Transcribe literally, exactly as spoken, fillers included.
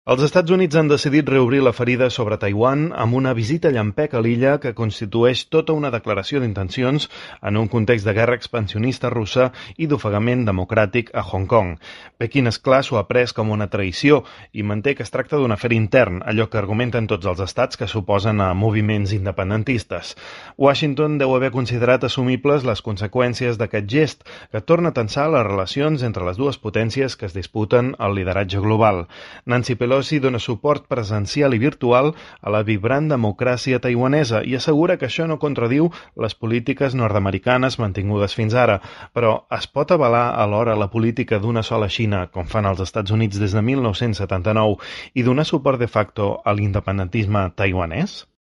Els Estats Units han decidit reobrir la ferida sobre Taiwan amb una visita llampec a l'illa que constitueix tota una declaració d'intencions en un context de guerra expansionista russa i d'ofegament democràtic a Hong Kong. Pequín, esclar, s'ho ha pres com una traïció i manté que es tracta d'un afer intern, allò que argumenten tots els estats que s'oposen a moviments independentistes. Washington deu haver considerat assumibles les conseqüències d'aquest gest, que torna a tensar les relacions entre les dues potències que es disputen el lideratge global. Nancy Pelosi dona suport presencial i virtual a la vibrant democràcia taiwanesa i assegura que això no contradiu les polítiques nord-americanes mantingudes fins ara, però es pot avalar alhora la política d'una sola Xina, com fan els Estats Units des de mil nou-cents setanta-nou, i donar suport de facto a l'independentisme taiwanès?